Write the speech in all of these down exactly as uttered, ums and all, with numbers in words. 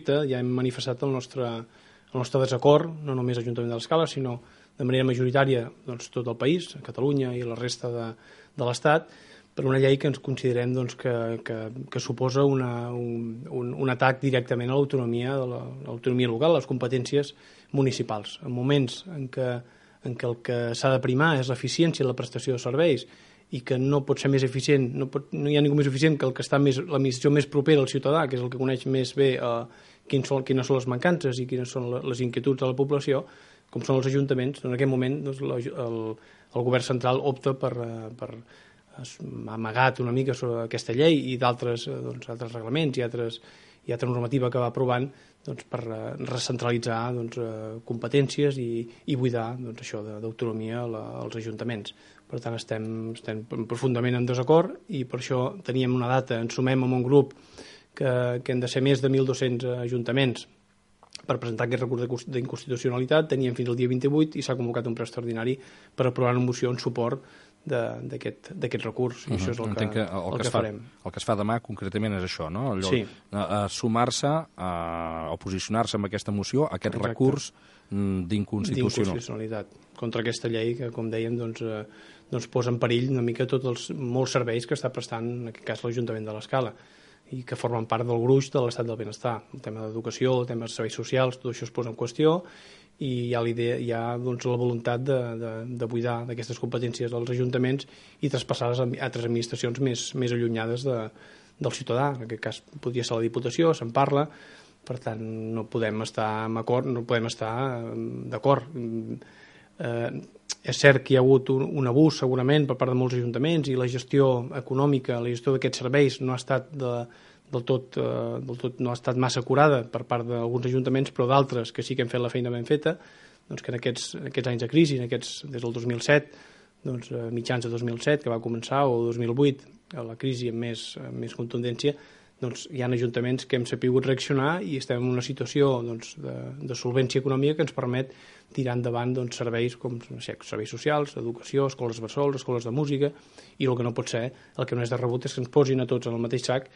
projecte ja hem manifestat el nostre, el nostre desacord, no només l'Ajuntament de l'Escala, sinó de manera majoritària doncs, tot el país, Catalunya i la resta de, de l'Estat, per una llei que ens considerem doncs, que, que, que suposa una, un, un, un atac directament a l'autonomia de l'autonomia local, a les competències municipals. En moments en què, en què el que s'ha de primar és l'eficiència i la prestació de serveis i que no pot ser més eficient, no, pot, no hi ha ningú més eficient que el que està més, l'administració més propera al ciutadà, que és el que coneix més bé eh, quins són, quines són les mancances i quines són les inquietuds de la població, com són els ajuntaments. En aquest moment doncs, el, el govern central opta per, per ha amagat una mica sobre aquesta llei i d'altres doncs, altres reglaments i altres, i altra normativa que va aprovant doncs, per recentralitzar doncs, competències i, i buidar doncs, això d'autonomia als ajuntaments. Per tant, estem, estem profundament en desacord i per això teníem una data, ens sumem amb un grup que, que han de ser més de mil dos-cents ajuntaments per presentar aquest recurs d'inconstitucionalitat. Teníem fins al dia vint-i-vuit i s'ha convocat un ple extraordinari per aprovar una moció en suport d'aquest recurs, i uh -huh. això és el que, que, el el que, que fa, farem. El que es fa demà concretament és això, no? Allò, sí. a, a sumar-se a, o posicionar-se amb aquesta moció, aquest Exacte. recurs d'inconstitucionalitat contra aquesta llei que, com dèiem, doncs, eh, doncs posa en perill una mica tots els molts serveis que està prestant, en aquest cas, l'Ajuntament de l'Escala, i que formen part del gruix de l'estat del benestar. El tema d'educació, el tema de serveis socials, tot això es posa en qüestió, i hi ha, idea, hi ha doncs, la voluntat de, de, de buidar d'aquestes competències als ajuntaments i traspassar-les a altres administracions més, més allunyades de, del ciutadà. En aquest cas podria ser la Diputació, se'n parla, per tant no podem estar en acord, no podem estar d'acord. Eh, és cert que hi ha hagut un, un abús segurament per part de molts ajuntaments i la gestió econòmica, la gestió d'aquests serveis no ha estat de, del tot, eh, del tot no ha estat massa curada per part d'alguns ajuntaments, però d'altres que sí que han fet la feina ben feta, doncs que en aquests, en aquests anys de crisi, en aquests, des del dos mil set, doncs, eh, mitjans de dos mil set que va començar, o dos mil vuit, la crisi amb més, amb més contundència, doncs hi ha ajuntaments que hem sabut reaccionar i estem en una situació doncs, de, de solvència econòmica que ens permet tirar endavant doncs, serveis com no sé, serveis socials, educació, escoles bressol, escoles de música, i el que no pot ser, el que no és de rebut és que ens posin a tots en el mateix sac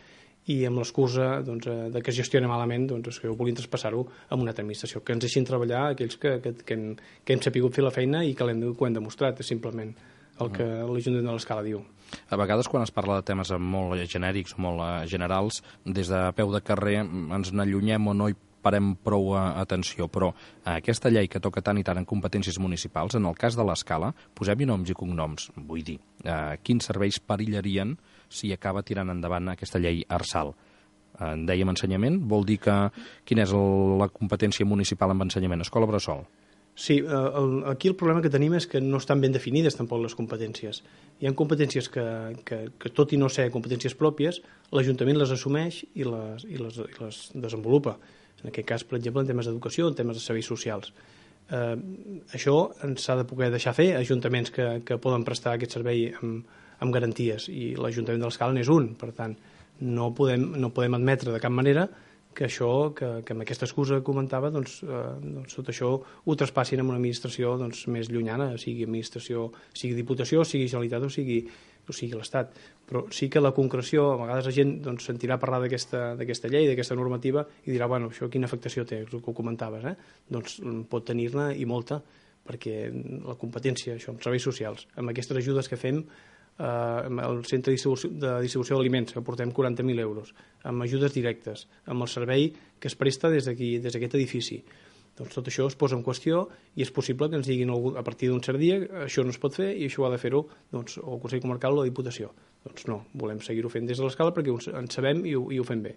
i amb l'excusa doncs, de que es gestiona malament doncs, que vulguin traspassar-ho a una altra administració, que ens deixin treballar aquells que, que, que, hem, que hem sabut fer la feina i que l'hem que ho hem demostrat, és simplement el que l'Ajuntament de l'Escala diu. A vegades, quan es parla de temes molt genèrics o molt generals, des de peu de carrer ens n'allunyem o no hi parem prou atenció, però aquesta llei que toca tant i tant en competències municipals, en el cas de l'Escala, posem-hi noms i cognoms, vull dir, eh, quins serveis perillarien si acaba tirant endavant aquesta llei Arsal. Eh, en dèiem ensenyament, vol dir que quina és el, la competència municipal en ensenyament? Escola bressol? Sí, el, aquí el problema que tenim és que no estan ben definides tampoc les competències. Hi ha competències que, que, que tot i no ser competències pròpies, l'Ajuntament les assumeix i les, i les, i les desenvolupa. En aquest cas, per exemple, en temes d'educació, en temes de serveis socials. Eh, això s'ha de poder deixar fer a ajuntaments que, que poden prestar aquest servei amb, amb garanties, i l'Ajuntament de l'Escala n'és un. Per tant, no podem, no podem admetre de cap manera que això, que, que amb aquesta excusa que comentava, doncs, eh, doncs tot això ho traspassin en una administració doncs, més llunyana, sigui administració, sigui Diputació, sigui Generalitat o sigui, o sigui l'Estat. Però sí que la concreció, a vegades la gent doncs, sentirà parlar d'aquesta llei, d'aquesta normativa, i dirà, bueno, això quina afectació té, el que ho comentaves, eh? Doncs pot tenir-ne i molta, perquè la competència, això, amb serveis socials, amb aquestes ajudes que fem, eh, amb el centre de distribució, de distribució d'aliments, que portem quaranta mil euros, amb ajudes directes, amb el servei que es presta des d'aquí, des d'aquest edifici. Doncs tot això es posa en qüestió i és possible que ens diguin a partir d'un cert dia això no es pot fer i això ho ha de fer-ho doncs, o el Consell Comarcal o la Diputació. Doncs no, volem seguir-ho fent des de l'Escala perquè en sabem i ho, i ho fem bé.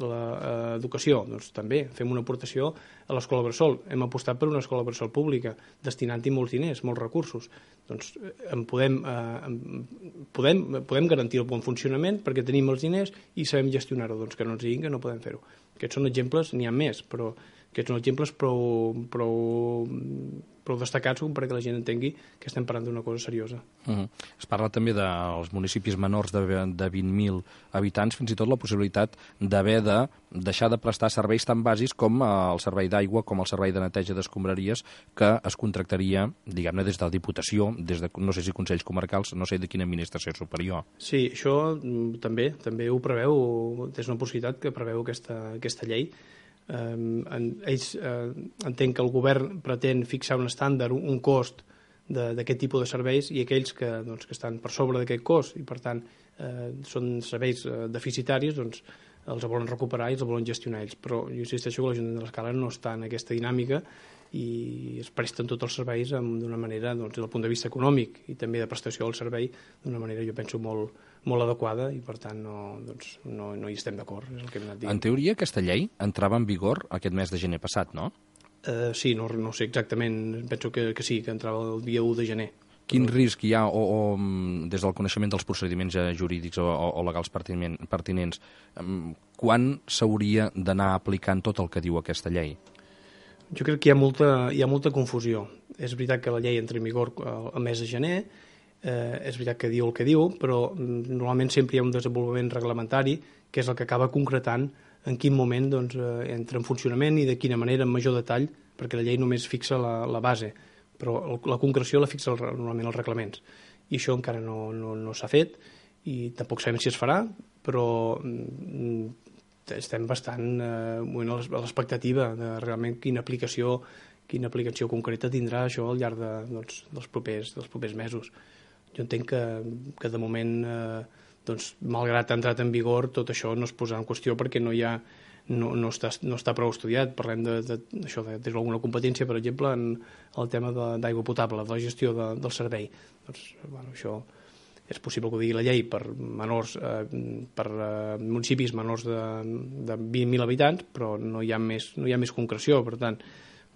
L'educació, doncs també fem una aportació a l'escola bressol. Hem apostat per una escola bressol pública, destinant-hi molts diners, molts recursos. Doncs en podem, eh, en podem, podem garantir el bon funcionament perquè tenim els diners i sabem gestionar-ho, doncs que no ens diguin que no podem fer-ho. Aquests són exemples, n'hi ha més, però aquests són exemples prou, prou, prou destacats com perquè la gent entengui que estem parlant d'una cosa seriosa. Uh-huh. Es parla també dels municipis menors de, de vint mil habitants, fins i tot la possibilitat d'haver de deixar de prestar serveis tan bàsics com el servei d'aigua, com el servei de neteja d'escombraries, que es contractaria, diguem-ne, des de la Diputació, des de, no sé si Consells Comarcals, no sé de quina administració superior. Sí, això també també ho preveu, és una possibilitat que preveu aquesta, aquesta llei. eh, en, ells eh, entenc que el govern pretén fixar un estàndard, un, un cost d'aquest tipus de serveis, i aquells que, doncs, que estan per sobre d'aquest cost i per tant eh, són serveis eh, deficitaris, doncs els volen recuperar i els volen gestionar ells. Però jo insisteixo que l'Ajuntament de l'Escala no està en aquesta dinàmica i es presten tots els serveis d'una manera, doncs, des del punt de vista econòmic i també de prestació del servei, d'una manera, jo penso, molt, molt adequada, i per tant no, doncs, no, no hi estem d'acord, és el que hem anat dient. En teoria, aquesta llei entrava en vigor aquest mes de gener passat, no? Uh, sí, no, no sé exactament, penso que, que sí, que entrava el dia u de gener. Quin risc hi ha, o, o des del coneixement dels procediments jurídics o, o legals pertinents, quan s'hauria d'anar aplicant tot el que diu aquesta llei? Jo crec que hi ha molta, hi ha molta confusió. És veritat que la llei entra en vigor el mes de gener, eh, és veritat que diu el que diu, però normalment sempre hi ha un desenvolupament reglamentari que és el que acaba concretant en quin moment, doncs, eh, entra en funcionament i de quina manera, en major detall, perquè la llei només fixa la, la base, però la concreció la fixa el, normalment els reglaments. I això encara no, no, no s'ha fet i tampoc sabem si es farà, però mm, estem bastant eh, a l'expectativa de realment quina aplicació, quina aplicació concreta tindrà això al llarg de, doncs, dels, propers, dels propers mesos. Jo entenc que, que de moment, eh, doncs, malgrat ha entrat en vigor, tot això no es posarà en qüestió perquè no hi ha No, no, està, no està prou estudiat. Parlem de, de, d'això, de, de alguna competència, per exemple, en el tema de, d'aigua potable, de la gestió de, del servei. Doncs, bueno, això és possible que ho digui la llei per menors, eh, per eh, municipis menors de, de vint mil habitants, però no hi ha més, no hi ha més concreció. Per tant,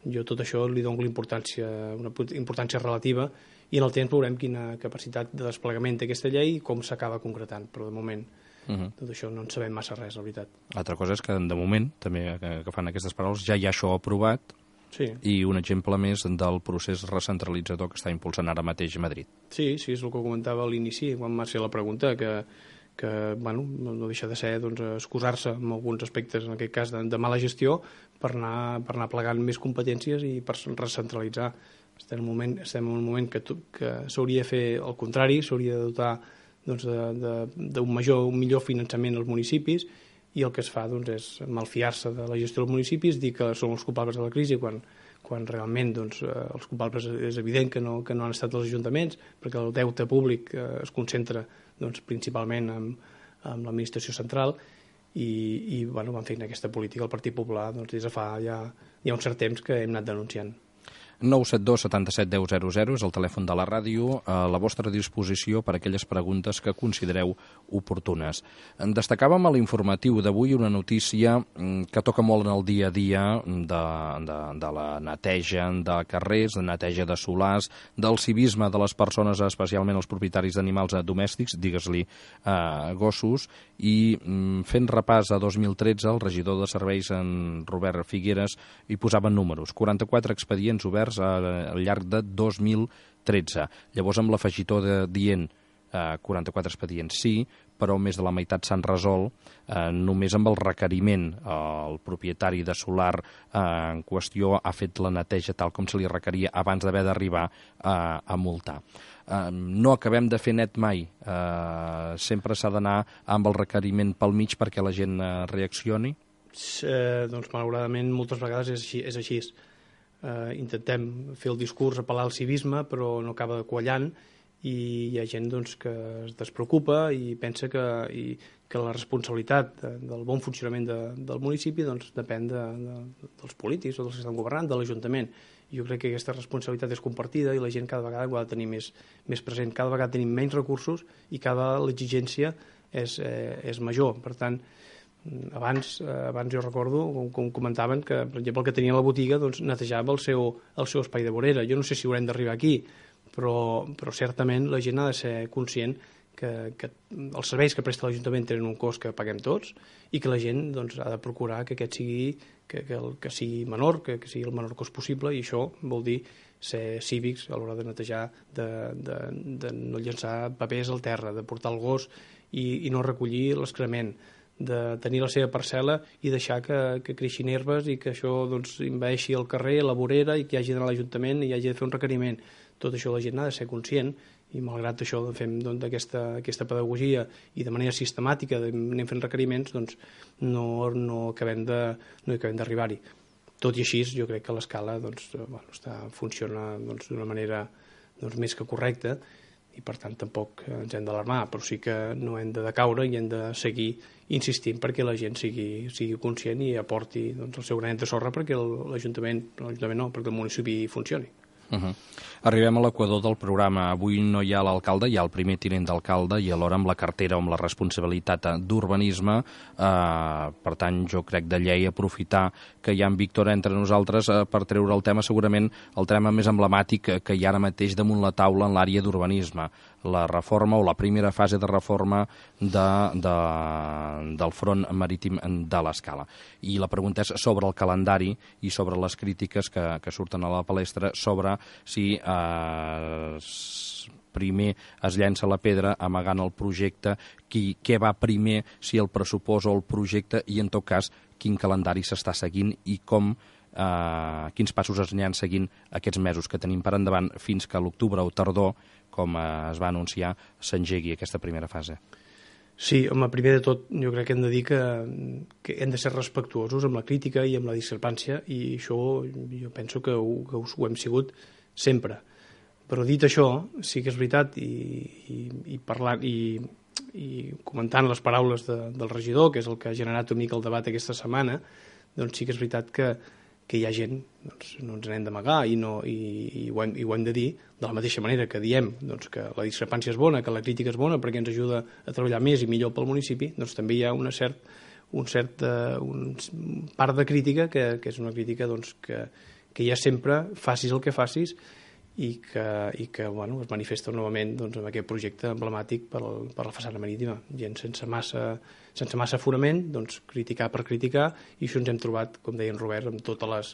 jo tot això li dono l'importància, una importància relativa, i en el temps veurem quina capacitat de desplegament té aquesta llei i com s'acaba concretant, però de moment Uh-huh. tot això no en sabem massa res, la veritat. L'altra cosa és que, de moment, també que fan aquestes paraules, ja hi ha això aprovat, sí. I un exemple més del procés recentralitzador que està impulsant ara mateix a Madrid. Sí, sí, és el que comentava a l'inici, quan m'ha fet la pregunta, que, que bueno, no deixa de ser, doncs, excusar-se en alguns aspectes, en aquest cas de, de mala gestió, per anar, per anar plegant més competències i per recentralitzar. Estem en un moment, estem en un moment que, que s'hauria de fer el contrari, s'hauria de dotar doncs, d'un major, un millor finançament als municipis, i el que es fa, doncs, és malfiar-se de la gestió dels municipis, dir que són els culpables de la crisi quan, quan realment, doncs, els culpables és evident que no, que no han estat els ajuntaments, perquè el deute públic eh, es concentra, doncs, principalment en, en l'administració central, i, i bueno, van fent aquesta política el Partit Popular, doncs, des de fa ja, ja un cert temps que hem anat denunciant. nou set dos setanta-set deu zero zero és el telèfon de la ràdio, a la vostra disposició per a aquelles preguntes que considereu oportunes. Destacàvem a l'informatiu d'avui una notícia que toca molt en el dia a dia de, de, de la neteja de carrers, de neteja de solars, del civisme de les persones, especialment els propietaris d'animals domèstics, digues-li eh, gossos, i fent repàs a dos mil tretze, el regidor de serveis, en Robert Figueres, hi posava números, quaranta-quatre expedients oberts al llarg de dos mil tretze. Llavors, amb l'afegitó de dient eh, quaranta-quatre expedients sí, però més de la meitat s'han resolt eh, només amb el requeriment. El propietari de solar eh, en qüestió ha fet la neteja tal com se li requeria abans d'haver d'arribar eh, a multar. Eh, no acabem de fer net mai. Eh, sempre s'ha d'anar amb el requeriment pel mig perquè la gent eh, reaccioni? Eh, doncs, malauradament, moltes vegades és així. És així. Uh, intentem fer el discurs, apel·lar al civisme, però no acaba quallant, i hi ha gent, doncs, que es despreocupa i pensa que, i, que la responsabilitat de, del bon funcionament de, del municipi, doncs, depèn de, de, dels polítics o dels que estan governant, de l'Ajuntament. Jo crec que aquesta responsabilitat és compartida i la gent cada vegada ho ha de tenir més, més present. Cada vegada tenim menys recursos i cada l'exigència és, eh, és major. Per tant, Abans, abans jo recordo, com, com comentaven, que, per exemple, el que tenia a la botiga, doncs, netejava el seu, el seu espai de vorera. Jo no sé si haurem d'arribar aquí, però, però certament la gent ha de ser conscient que, que els serveis que presta l'Ajuntament tenen un cost que paguem tots i que la gent, doncs, ha de procurar que aquest sigui, que, que, el, que sigui menor, que, que sigui el menor cost possible, i això vol dir ser cívics a l'hora de netejar, de, de, de no llançar papers al terra, de portar el gos i, i no recollir l'excrement, de tenir la seva parcel·la i deixar que, que creixin herbes i que això, doncs, envaeixi el carrer, la vorera, i que hi hagi d'anar a l'Ajuntament i hi hagi de fer un requeriment. Tot això la gent ha de ser conscient i malgrat això fem doncs, aquesta, aquesta pedagogia i de manera sistemàtica anem fent requeriments, doncs no, no acabem de, no acabem d'arribar-hi. Tot i així, jo crec que l'escala doncs, bueno, està, funciona doncs, d'una manera doncs, més que correcta i per tant tampoc ens hem d'alarmar, però sí que no hem de decaure i hem de seguir insistint perquè la gent sigui, sigui conscient i aporti doncs, el seu granet de sorra perquè l'Ajuntament, l'Ajuntament no, perquè el municipi funcioni. Uh -huh. Arribem a l'equador del programa. Avui no hi ha l'alcalde, hi ha el primer tinent d'alcalde i alhora amb la cartera o amb la responsabilitat d'urbanisme. Eh, per tant, jo crec de llei aprofitar que hi ha en Víctor entre nosaltres eh, per treure el tema, segurament el tema més emblemàtic que hi ha ara mateix damunt la taula en l'àrea d'urbanisme, la reforma o la primera fase de reforma de, de, del front marítim de l'Escala. I la pregunta és sobre el calendari i sobre les crítiques que, que surten a la palestra sobre si eh, primer es llença la pedra amagant el projecte, qui, què va primer, si el pressupost o el projecte, i en tot cas quin calendari s'està seguint i com, eh, quins passos es aniran seguint aquests mesos que tenim per endavant fins que a l'octubre o tardor, com eh, es va anunciar, s'engegui aquesta primera fase. Sí, home, primer de tot jo crec que hem de dir que, que hem de ser respectuosos amb la crítica i amb la discrepància i això jo penso que ho, que ho hem sigut sempre. Però dit això, sí que és veritat i, i, i parlant i, i comentant les paraules de, del regidor, que és el que ha generat una mica el debat aquesta setmana, doncs sí que és veritat que, que hi ha gent, doncs no ens n'hem d'amagar i, no, i, i, ho hem, i ho hem de dir de la mateixa manera que diem doncs, que la discrepància és bona, que la crítica és bona perquè ens ajuda a treballar més i millor pel municipi, doncs també hi ha una cert, un cert, uh, un part de crítica que, que és una crítica doncs, que, que hi ha sempre, facis el que facis, i que, i que bueno, es manifesta novament doncs, amb aquest projecte emblemàtic per, el, per la façana marítima. Gent sense massa, sense massa fonament, doncs, criticar per criticar, i això ens hem trobat, com deia en Robert, amb totes les,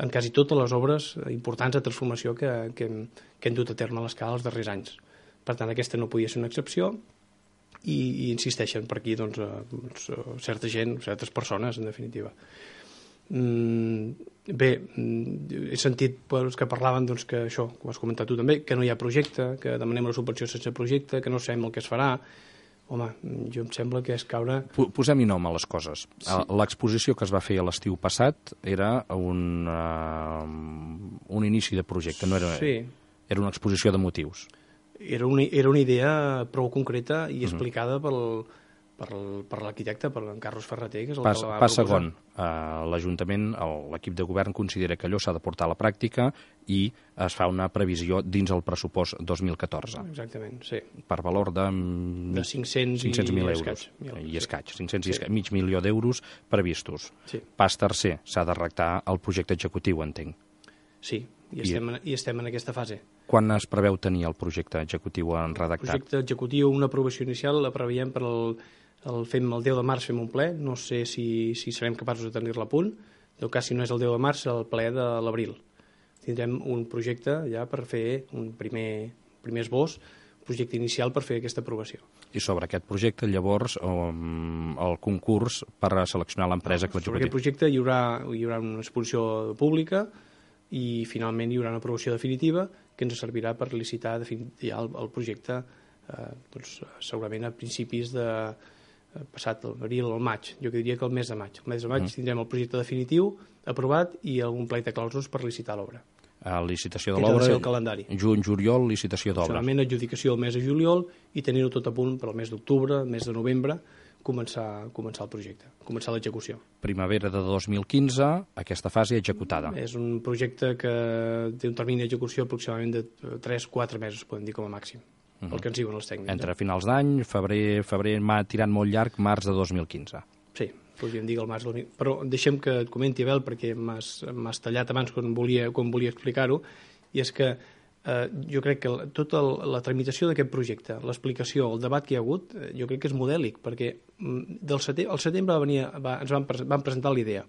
en quasi totes les obres importants de transformació que, que, hem, que hem dut a terme a l'Escala els darrers anys. Per tant, aquesta no podia ser una excepció, i, i insisteixen per aquí doncs, doncs, certa gent, certes persones, en definitiva. Bé, he sentit doncs, que parlaven doncs, que això, com has comentat tu també, que no hi ha projecte, que demanem la subvenció sense projecte, que no sabem el que es farà. Home, jo em sembla que és caure... Posem-hi nom a les coses. Sí. L'exposició que es va fer a l'estiu passat era un, uh, un inici de projecte, no era, sí. Era una exposició de motius. Era una, era una idea prou concreta i explicada uh-huh. pel... per, per l'arquitecte, per en Carlos Ferreter, que és el pas, que la va pas segon, uh, l'Ajuntament, l'equip de govern considera que allò s'ha de portar a la pràctica i es fa una previsió dins el pressupost dos mil catorze. Exactament, sí. Per valor de, de cinc-cents mil euros. I escaig, cinc-cents i escaig, mig milió d'euros previstos. Sí. Pas tercer, s'ha de redactar el projecte executiu, entenc. Sí, i estem, I, en, i estem en aquesta fase. Quan es preveu tenir el projecte executiu en redactat? El projecte executiu, una aprovació inicial, la preveiem per el... El, fem el deu de març fem un ple, no sé si, si serem capaços de tenir-la a punt, en tot cas si no és el deu de març, el ple de l'abril. Tindrem un projecte ja per fer un primer, primer esbós, projecte inicial per fer aquesta aprovació. I sobre aquest projecte, llavors, um, el concurs per a seleccionar l'empresa no, que l'executi? Sobre aquest projecte hi haurà, hi haurà una exposició pública i finalment hi haurà una aprovació definitiva que ens servirà per licitar ja el, el projecte eh, doncs, segurament a principis de passat l'abril o el maig, jo diria que el mes de maig. El mes de maig mm. tindrem el projecte definitiu aprovat i algun plec de clausos per licitar l'obra. A licitació de l'obra, juny, juliol, licitació d'obra. Finalment, adjudicació el mes de juliol i tenir-ho tot a punt per al mes d'octubre, mes de novembre, començar, començar el projecte, començar l'execució. Primavera de dos mil quinze, aquesta fase executada. És un projecte que té un termini d'execució aproximadament de tres a quatre mesos, podem dir com a màxim. El que ens diuen els tècnics. Entre finals d'any, febrer, febrer m'ha tirat molt llarg, març de dos mil quinze. Sí, podríem dir el març del... Però deixem que et comenti, Abel, perquè m'has tallat abans quan volia, quan volia explicar-ho, i és que eh, jo crec que tota la tramitació d'aquest projecte, l'explicació, el debat que hi ha hagut, eh, jo crec que és modèlic, perquè del setembre, al setembre va venir, va, ens van, van presentar l'idea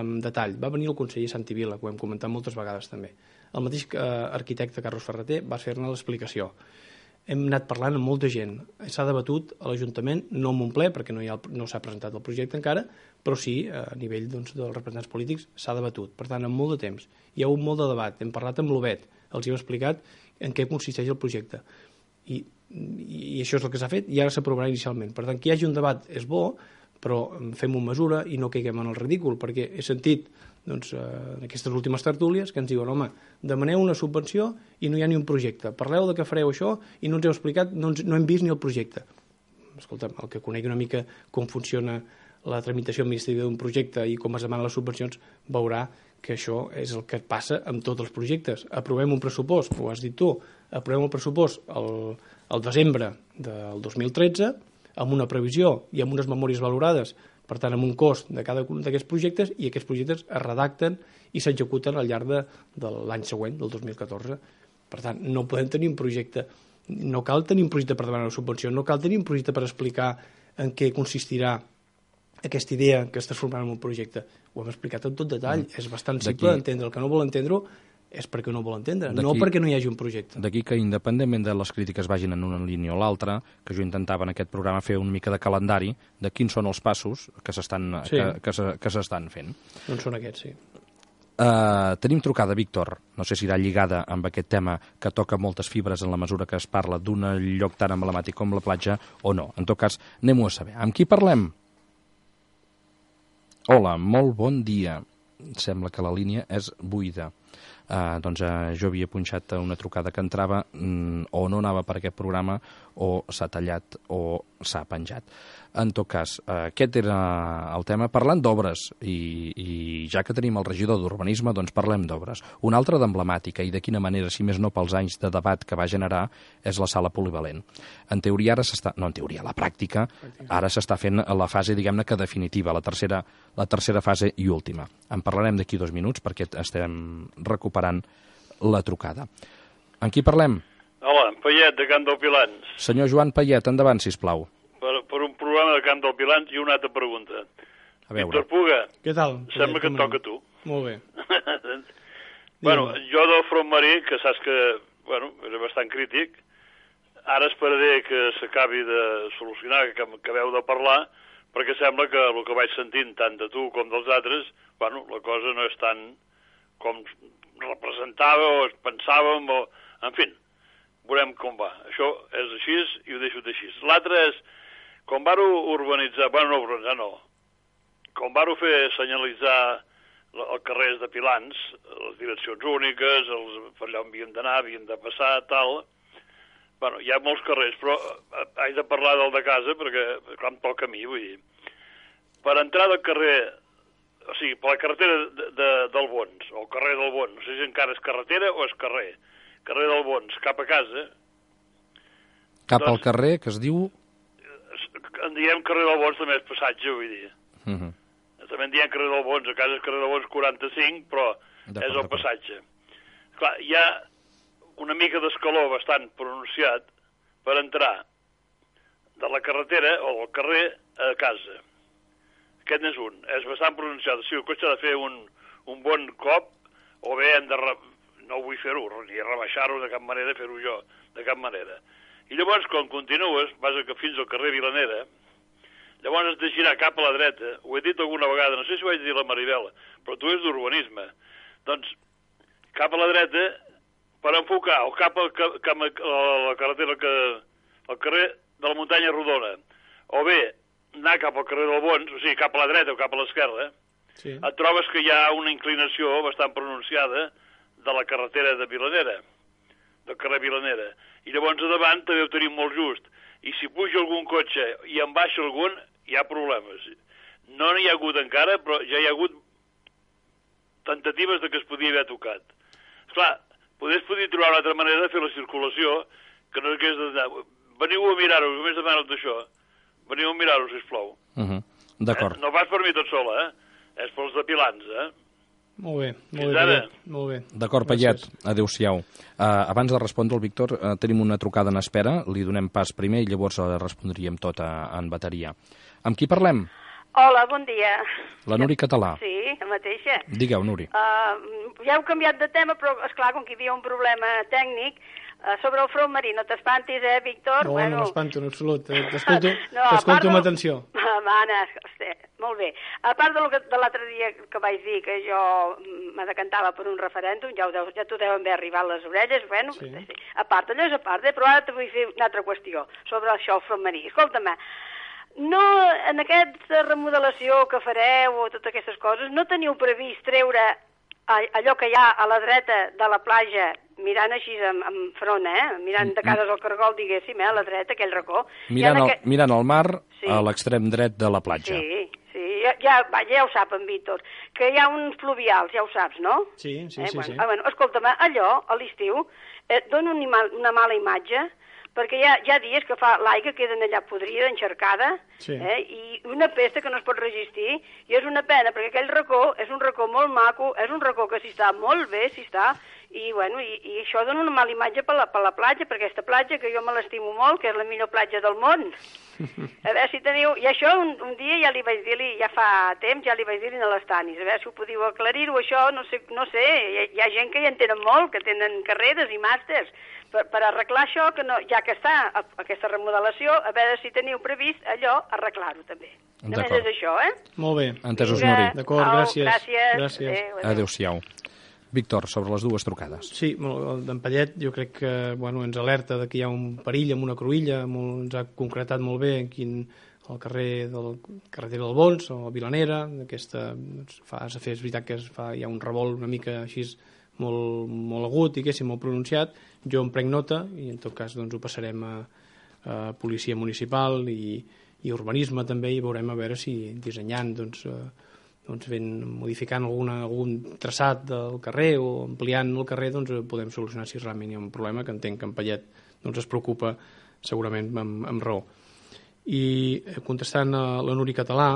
amb detall. Va venir el conseller Santivila, que ho hem comentat moltes vegades també. El mateix eh, arquitecte Carlos Ferreter va fer-ne l'explicació. Hem anat parlant amb molta gent. S'ha debatut a l'Ajuntament, no en un ple, perquè no, hi ha, no s'ha presentat el projecte encara, però sí, a nivell doncs, dels representants polítics, s'ha debatut. Per tant, en molt de temps. Hi ha hagut molt de debat. Hem parlat amb l'Obet, els hi hem explicat en què consisteix el projecte. I, i això és el que s'ha fet i ara s'aprovarà inicialment. Per tant, que hi hagi un debat és bo, però fem-ho amb mesura i no caiguem en el ridícul, perquè he sentit doncs, eh, en aquestes últimes tertúlies que ens diuen, home, demaneu una subvenció i no hi ha ni un projecte, parleu de que fareu això i no ens heu explicat, no, ens, no hem vist ni el projecte. Escolta'm, el que conegui una mica com funciona la tramitació administrativa d'un projecte i com es demanen les subvencions, veurà que això és el que passa amb tots els projectes. Aprovem un pressupost, ho has dit tu, aprovem el pressupost el, el desembre del dos mil tretze, amb una previsió i amb unes memòries valorades, per tant, amb un cost de cada un d'aquests projectes, i aquests projectes es redacten i s'executen al llarg de, de l'any següent, del dos mil catorze. Per tant, no podem tenir un projecte, no cal tenir un projecte per demanar una subvenció, no cal tenir un projecte per explicar en què consistirà aquesta idea que es transformarà en un projecte. Ho hem explicat en tot detall, mm. és bastant simple d'entendre. El que no vol entendre-ho és perquè no vol entendre, no perquè no hi hagi un projecte. D'aquí que, independentment de les crítiques vagin en una línia o l'altra, que jo intentava en aquest programa fer una mica de calendari de quins són els passos que s'estan sí. que, que, se, que s'estan fent. Doncs són aquests, sí. Uh, tenim trucada, Víctor, no sé si irà lligada amb aquest tema que toca moltes fibres en la mesura que es parla d'un lloc tan emblemàtic com la platja o no. En tot cas, anem-ho a saber. Amb qui parlem? Hola, molt bon dia. Sembla que la línia és buida. Uh, doncs uh, jo havia punxat una trucada que entrava mm, o no anava per aquest programa o s'ha tallat o s'ha penjat. En tot cas, uh, aquest era el tema. Parlant d'obres, i, i ja que tenim el regidor d'Urbanisme, doncs parlem d'obres. Una altra d'emblemàtica, i de quina manera, si més no pels anys de debat que va generar, és la sala polivalent. En teoria ara s'està... No, en teoria, a la pràctica, ara s'està fent la fase, diguem-ne, que definitiva, la tercera, la tercera fase i última. En parlarem d'aquí dos minuts, perquè estem recuperant la trucada. En qui parlem? Hola, Payet, de Camp del Pilans. Senyor Joan Payet, endavant, sisplau. Per, per un programa de Camp del Pilans i una altra pregunta. A veure. Víctor Puga. Què tal? Sembla que et toca a tu. Molt bé. Bueno, jo del front marí, que saps que, bueno, era bastant crític, ara esperaré que s'acabi de solucionar, que acabeu de parlar, perquè sembla que el que vaig sentint tant de tu com dels altres, bueno, la cosa no és tan com representava o es pensàvem, o... en fi, veurem com va. Això és així i ho deixo així. L'altre és, com vau urbanitzar, bueno, no urbanitzar, no, com vau fer senyalitzar els carrers de Pilans, les direccions úniques, els, per allà on havíem d'anar, havíem de passar, tal... Bueno, hi ha molts carrers, però haig de parlar del de casa, perquè, clar, em toca a mi, vull dir. Per entrar del carrer, o sigui, per la carretera de, de, del Bons, o el carrer del Bons, no sé si encara és carretera o és carrer, carrer del Bons, cap a casa... Cap doncs, al carrer, que es diu... En diem carrer del Bons, també és passatge, vull dir. Uh -huh. També en diem carrer del Bons, a casa és carrer del Bons quaranta-cinc, però és el passatge. Clar, hi ha una mica d'escaló bastant pronunciat per entrar de la carretera o del carrer a casa. Aquest n'és un. És bastant pronunciat. Si el cotxe ha de fer un, un bon cop, o bé hem de... Re... No vull fer-ho, ni rebaixar-ho de cap manera, fer-ho jo, de cap manera. I llavors, quan continues, vas fins al carrer Vilanera, llavors has de girar cap a la dreta. Ho he dit alguna vegada, no sé si ho vaig dir a la Maribel, però tu és d'urbanisme. Doncs, cap a la dreta, per enfocar, o cap a, cap a la carretera, que, al carrer de la Muntanya Rodona, o bé anar cap al carrer del Bons, o sigui, cap a la dreta o cap a l'esquerra, sí. Et trobes que hi ha una inclinació bastant pronunciada de la carretera de Vilanera, del carrer Vilanera. I llavors a davant també ho tenim molt just. I si puja algun cotxe i en baixa algun, hi ha problemes. No n'hi ha hagut encara, però ja hi ha hagut tentatives de que es podia haver tocat. Esclar, podés poder trobar una altra manera de fer la circulació que no hagués d'anar. Veniu a mirar-ho, només demano d'això. Veniu a mirar-ho, sisplau. Uh -huh. D'acord. Eh? No vas per mi tot sola, eh? És pels de Pilans, eh? Molt bé, molt Fins bé, ara. molt bé. D'acord, Payet, adéu-siau. Uh, abans de respondre al Víctor, uh, tenim una trucada en espera, li donem pas primer i llavors uh, respondríem tot uh, en bateria. Amb qui parlem? Hola, bon dia. La Nuri Català. Sí, la mateixa. Digueu, Nuri. Uh, ja heu canviat de tema, però, esclar, com que hi havia un problema tècnic, Uh, sobre el front marí, no t'espantis, eh, Víctor? No, bueno... no m'espanto en absolut. T'escolto no, t'escolto amb del... atenció. Va, Anna, hosti, molt bé. A part de, lo que, de l'altre dia que vaig dir que jo me decantava per un referèndum, ja, ho deu, ja t'ho deuen haver arribat a les orelles, bueno, sí. Sí. A part, allò és a part, eh? Però ara te vull fer una altra qüestió sobre això, el front marí. Escolta'm, no, en aquesta remodelació que fareu o totes aquestes coses, no teniu previst treure allò que hi ha a la dreta de la platja, mirant així en, en front, eh? Mirant de cares al cargol, diguéssim, eh? A la dreta, aquell racó. Mirant, el, aquest... mirant el mar, sí. A l'extrem dret de la platja. Sí, sí, ja, ja, va, ja ho sap en Víctor, que hi ha uns fluvials, ja ho saps, no? Sí, sí, eh? sí. Bueno, sí. Ah, bueno, escolta'm, allò, a l'estiu, eh, dona una, una mala imatge, perquè hi ha, hi ha dies que fa l'aigua queda allà podrida, encharcada, sí. eh? I una pesta que no es pot resistir, i és una pena, perquè aquell racó és un racó molt maco, és un racó que s'hi està molt bé, s'hi està, i, bueno, i, i això dona una mala imatge per la, per la platja, per aquesta platja, que jo me l'estimo molt, que és la millor platja del món. A veure si teniu... I això un, un dia ja li vaig dir-li, ja fa temps, ja li vaig dir-li a les Tanis, a veure si ho podíeu aclarir-ho, això, no sé, no sé, hi, hi ha gent que hi en tenen molt, que tenen carreres i màsters, per, per arreglar això, que no, ja que està aquesta remodelació, a veure si teniu previst allò, arreglar-ho també. Només és això, eh? Molt bé. Entesos, Nuri. D'acord, gràcies. Gràcies. gràcies. Adéu, adéu-siau. Víctor, sobre les dues trucades. Sí, el d'en Pallet jo crec que bueno, ens alerta de que hi ha un perill amb una cruïlla, molt, ens ha concretat molt bé quin, el carrer del carretera del Bons o Vilanera, aquesta fa, és veritat que es fa, hi ha un revolt una mica així molt, molt agut, diguéssim, molt pronunciat. Jo en prenc nota i en tot cas doncs, ho passarem a, a policia municipal i, i urbanisme també, i veurem a veure si dissenyant doncs, doncs ben modificant alguna, algun traçat del carrer o ampliant el carrer doncs podem solucionar si realment hi ha un problema, que entenc que en Pallet doncs, es preocupa segurament amb, amb raó. I contestant a la Nuri Català,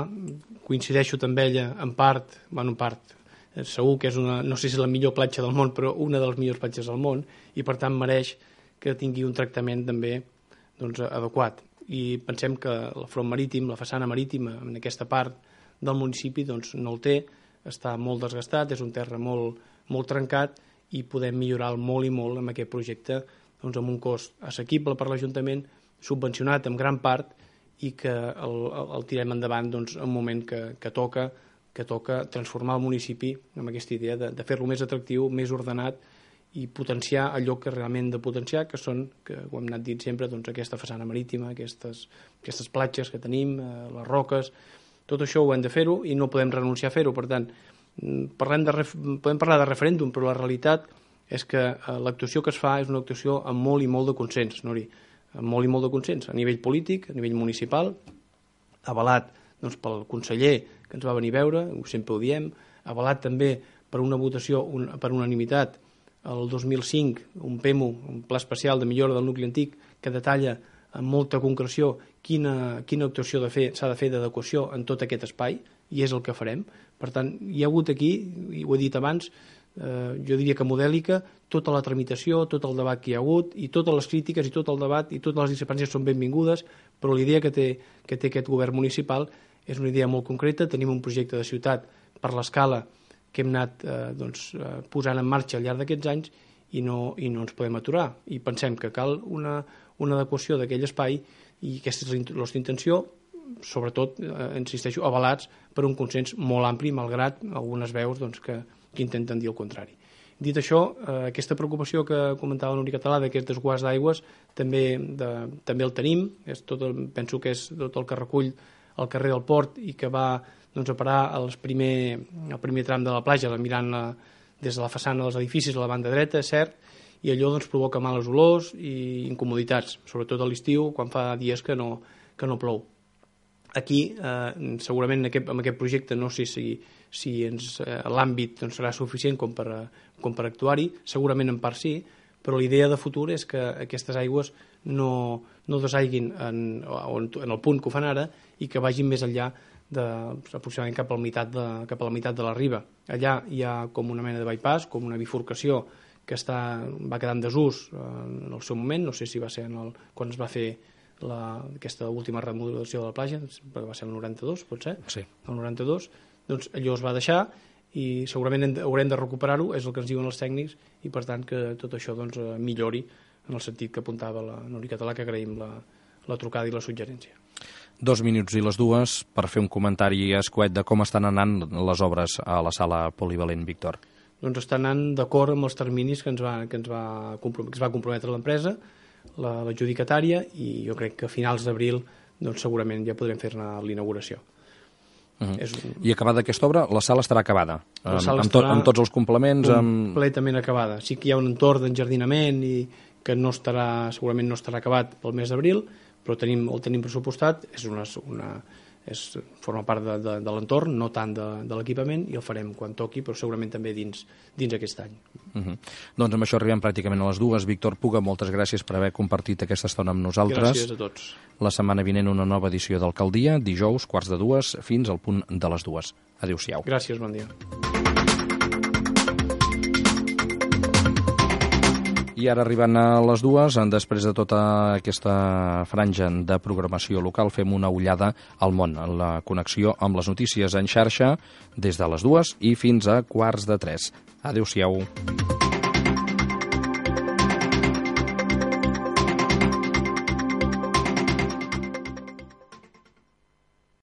coincideixo amb ella en part, bueno, en part, segur que és una, no sé si és la millor platja del món, però una de les millors platges del món, i per tant mereix que tingui un tractament també doncs, adequat. I pensem que el front marítim, la façana marítima en aquesta part del municipi doncs, no el té, està molt desgastat, és un terra molt, molt trencat i podem millorar molt i molt amb aquest projecte doncs, amb un cost assequible per l'Ajuntament, subvencionat en gran part i que el, el, el tirem endavant doncs, en un moment que, que, toca, que toca transformar el municipi amb aquesta idea de, de fer-lo més atractiu, més ordenat i potenciar allò que realment de potenciar, que són, que ho hem anat dient sempre, doncs, aquesta façana marítima, aquestes, aquestes platges que tenim, eh, les roques. Tot això ho hem de fer-ho i no podem renunciar a fer-ho. Per tant, parlem de ref... podem parlar de referèndum, però la realitat és que l'actuació que es fa és una actuació amb molt i molt de consens, Nuri, amb molt i molt de consens, a nivell polític, a nivell municipal, avalat doncs, pel conseller que ens va venir a veure, sempre ho diem, avalat també per una votació un, per unanimitat el dos mil cinc, un P E M U, un Pla Especial de Millora del Nucli Antic, que detalla amb molta concreció quina, quina actuació s'ha de fer d'adequació en tot aquest espai, i és el que farem. Per tant, hi ha hagut aquí, i ho he dit abans, eh, jo diria que modèlica, tota la tramitació, tot el debat que hi ha hagut, i totes les crítiques, i tot el debat, i totes les discrepàncies són benvingudes, però la idea que té, que té aquest govern municipal és una idea molt concreta. Tenim un projecte de ciutat per l'escala que hem anat eh, doncs, eh, posant en marxa al llarg d'aquests anys i no, i no ens podem aturar. I pensem que cal una, una adequació d'aquell espai i aquesta és la nostra intenció, sobretot, eh, insisteixo, avalats per un consens molt ampli, malgrat algunes veus doncs, que, que intenten dir el contrari. Dit això, eh, aquesta preocupació que comentava la Nuri Català d'aquest desguàs d'aigües també, de, també el tenim, és tot el, penso que és tot el que recull el carrer del Port i que va doncs, a parar els primer, el primer tram de la platja, mirant la, des de la façana dels edificis a la banda dreta, és cert, i allò doncs, provoca males olors i incomoditats, sobretot a l'estiu, quan fa dies que no, que no plou. Aquí, eh, segurament en aquest, en aquest projecte, no sé si, si ens, eh, l'àmbit doncs, serà suficient com per, com per actuar-hi, segurament en part sí, però la idea de futur és que aquestes aigües no, no desaiguin en, en el punt que ho fan ara i que vagin més enllà de, aproximadament cap a la meitat de, cap a la meitat de la riba. Allà hi ha com una mena de bypass, com una bifurcació que està, va quedar en desús en el seu moment, no sé si va ser en el, quan es va fer la, aquesta última remodelació de la platja, va ser el noranta-dos, pot ser? Sí. El noranta-dos, doncs allò es va deixar i segurament haurem de recuperar-ho, és el que ens diuen els tècnics, i per tant que tot això doncs, millori en el sentit que apuntava la Núria Català, que agraïm la, la trucada i la suggerència. Dos minuts i les dues per fer un comentari escuet de com estan anant les obres a la sala polivalent, Víctor. Doncs està anant d'acord amb els terminis que ens va, que ens va, comprom que es va comprometre l'empresa, l'adjudicatària, i jo crec que a finals d'abril doncs, segurament ja podrem fer-ne l'inauguració. Uh -huh. un... I acabada aquesta obra, la sala estarà acabada, la sala amb, estarà amb tots els complements. Completament amb... acabada. Sí que hi ha un entorn d'enjardinament i que no estarà, segurament no estarà acabat pel mes d'abril, però tenim, el tenim pressupostat, és una, una, és, forma part de, de, de l'entorn, no tant de, de l'equipament, i el farem quan toqui, però segurament també dins, dins aquest any. Uh -huh. Doncs amb això arribem pràcticament a les dues. Víctor Puga, moltes gràcies per haver compartit aquesta estona amb nosaltres. Gràcies a tots. La setmana vinent una nova edició d'Alcaldia, dijous, quarts de dues, fins al punt de les dues. Adéu-siau. Gràcies, bon dia. I ara arribant a les dues, després de tota aquesta franja de programació local, fem una ullada al món, en la connexió amb les notícies en xarxa, des de les dues i fins a quarts de tres. Adéu-siau.